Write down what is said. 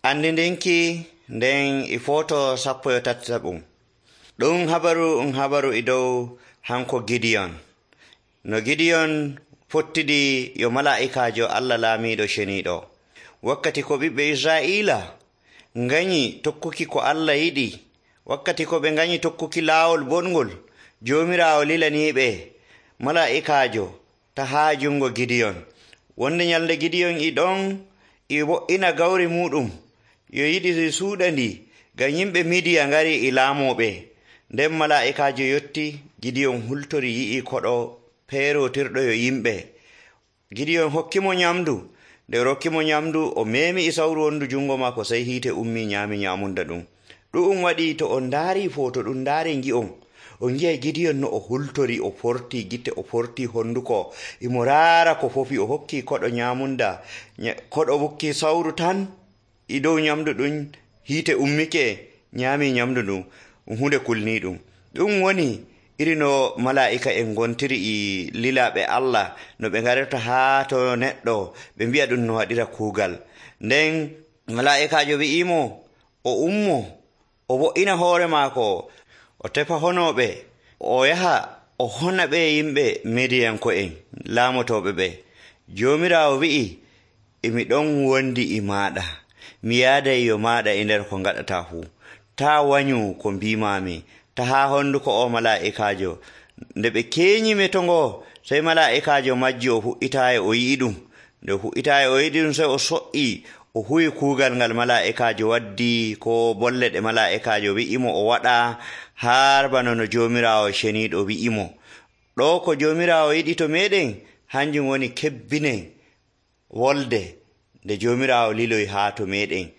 andidinki nden e foto 13. ɗum habaru e dow hanko Gideon. No Gideon fottidi yo mala'ikajo Allah laamiɗo ceniiɗo. Wakkati ko ɓiɓɓe Israa'iila nganyi tokkuki ko Allah yiɗi, wakkati ko ɓe nganyi tokkuki laawol bonngol, Joomiraawo lilaniiɓe mala'ikajo ta haa jungo Gideon. Wonde nyalde Gideon e ɗon e wo'ina gawri muɗum yo yiɗi suuɗa ndi ngam yimɓe Midiya ngari e laamoɓe. Nden mala'ikajo yotti, Gideon hultori yi'i koɗo peerotirɗo yo yimɓe. Gideon hokkimo nyamdu. Nde rokkimo nyamdu, o memi e sawru wondu jungo maako, sey hiite ummi nyaami nyamunda ɗum. Ɗum waɗi to on ndaari foto ɗum ndaari ngi'on, on ngi'ay Gideon no o hultori, o forti gite, o forti honduko, imo raara ko fofi, o hokki koɗo nyamunda, koɗo wukki sawru tan e dow nyamdu ɗum, hiite ummike nyaami nyamdu ɗum, hunde kulni ɗum. Ɗum woni iri no mala'ika en gontiri e lilaɓe Allah, no ɓe garata haa to neɗɗo ɓe mbi'a ɗum no waɗira kuugal. Nden mala'ikajo wi'imo o ummo, o wo'ina hoore maako, o tefa honoɓe, o yaha o hona ɓe yimɓe Midiyanko'en laamotoɓe ɓe. Joomiraawo wi'i, emi ɗon wondi e maɗa, mi yaaday yo maɗa e nder ko ngaɗata fuu. Ta wanyu ko mbimami, ta haa honduko o mala'ikajo. Nde ɓe keeñime to ngo, sey mala'ikajo majji, o fu'itaye o yi'i ɗum. Nde o fu'itaye o yi'i ɗum, sey o so'i, o huwi kuugal ngal mala'ikajo waddi, ko bolle ɗe mala'ikajo wi'imo o waɗa, har bana no Joomiraawo ceniiɗo wi'imo. Ɗo ko Joomiraawo yiɗi to meɗen, hanjum woni kebbinen wolde nde Joomiraawo liloy haa to meɗen.